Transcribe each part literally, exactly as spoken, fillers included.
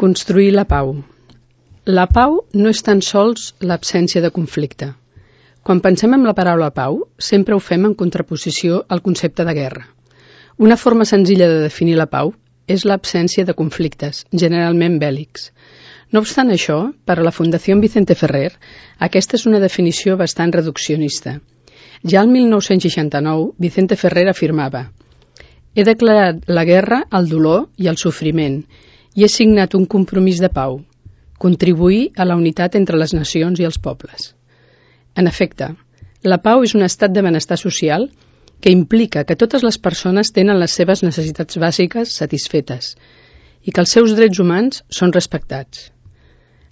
construir la pau. La pau no és tan sols l'absència de conflicte. Quan pensem en la paraula pau, sempre ho fem en contraposició al concepte de guerra. Una forma senzilla de definir la pau és l'absència de conflictes, generalment bèl·lics. No obstant això, per a la Fundació Vicente Ferrer, aquesta és una definició bastant reduccionista. Ja el mil nou-cents seixanta-nou, Vicente Ferrer afirmava: «He declarat la guerra al dolor i al sofriment i he signat un compromís de pau, contribuir a la unitat entre les nacions i els pobles». En efecte, la pau és un estat de benestar social que implica que totes les persones tenen les seves necessitats bàsiques satisfetes i que els seus drets humans són respectats.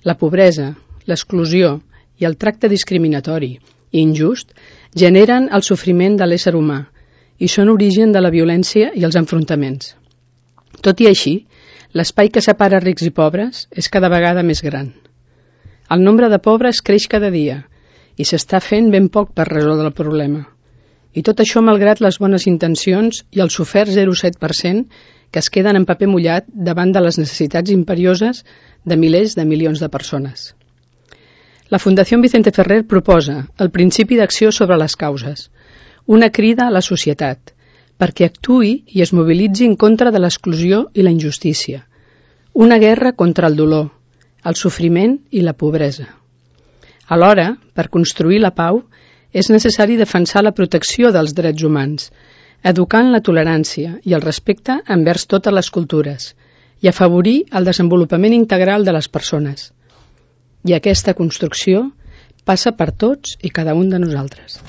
La pobresa, l'exclusió i el tracte discriminatori i injust generen el sofriment de l'ésser humà i són origen de la violència i els enfrontaments. Tot i així, l'espai que separa rics i pobres és cada vegada més gran. El nombre de pobres creix cada dia i s'està fent ben poc per resoldre el problema. I tot això malgrat les bones intencions i el sofert zero coma set per cent que es queden en paper mullat davant de les necessitats imperioses de milers de milions de persones. La Fundació Vicente Ferrer proposa el principi d'acció sobre les causes, una crida a la societat, perquè actuï i es mobilitzi en contra de l'exclusió i la injustícia, una guerra contra el dolor, el sofriment i la pobresa. Alhora, per construir la pau, és necessari defensar la protecció dels drets humans, educant la tolerància i el respecte envers totes les cultures i afavorir el desenvolupament integral de les persones. I aquesta construcció passa per tots i cada un de nosaltres.